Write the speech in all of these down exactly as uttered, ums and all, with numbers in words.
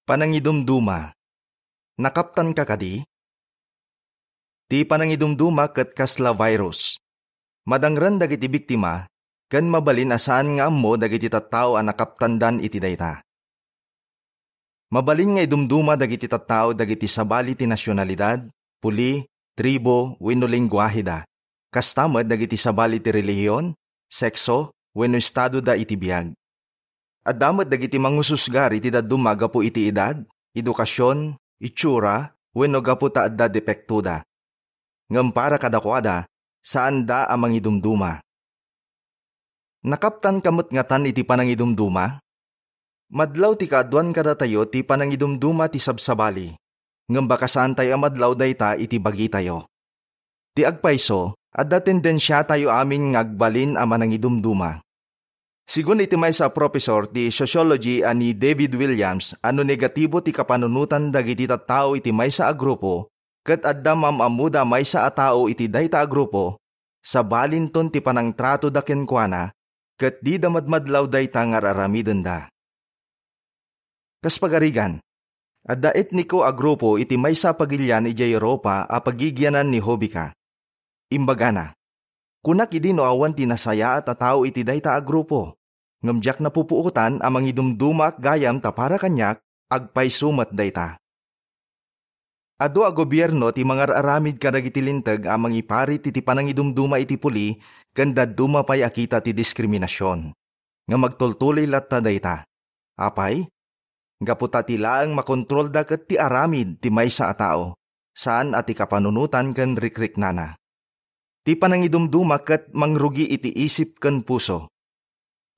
Panangidumduma. Nakaptanka kadi? Ti panangidumduma ket kasla virus. Madangren dagiti biktima, ken mabalin a saan nga ammo dagiti tattao a nakaptandan iti dayta. Mabalin nga idumduma dagiti tattao dagiti sabali ti nasionalidad, puli, tribo, wenno lenguaheda. Kasta met dagiti sabali ti relihiyon, sekso, wenno estadoda iti biag. Adda met dagiti mangususgar iti dadduma gapu iti edad, edukasion, itsura, wenno gapu ta adda depektoda. Ngem para kadakuada, saanda a mangidumduma. Nakaptanka met ngatan iti panangidumduma? Madlaw ti kaaduan kadatayo ti panangidumduma ti sabsabali, ngem baka saantayo a madlaw dayta iti bagitayo. Ti agpayso, adda tendensiatayo amin nga agbalin a manangidumduma. Sigun iti maysa a profesor ti sociology a ni David Williams a no negatibo ti kapanunotan dagiti tattao iti maysa a grupo, ket adda maam-ammoda a maysa a tao iti dayta a grupo, sabalinton ti panangtratoda kenkuana, ket dida madmadlaw dayta nga ar-aramidenda. Kas pagarigan, adda etniko a grupo iti maysa a pagilian idiay Europa a pagigianan ni Hobika. Imbagana, "Kunak idi no awan ti nasayaat a tao iti dayta a grupo, ngem diak napupuotan a mangidumdumaak gayam ta para kaniak, agpayso met dayta." Adu a gobierno ti mangar-aramid kadagiti linteg a mangiparit iti panangidumduma iti puli ken dadduma pay a kita ti diskriminasion. Nga magtultuloy latta dayta. Apay? Gapu ta ti laeng makontrolda ket ti aramid ti maysa a tao, saan a ti kapanunotan ken rikriknana. Ti panangidumduma ket mangrugi iti isip ken puso.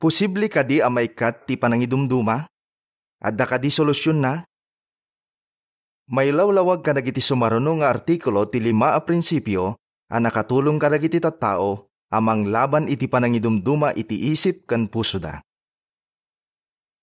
Posible kadi a maikkat ti panangidumduma? Adda kadi solusionna? Mailawlawag kadagiti sumaruno nga artikulo ti lima a prinsipio a nakatulong kadagiti tattao a manglaban iti panangidumduma iti isip ken pusoda.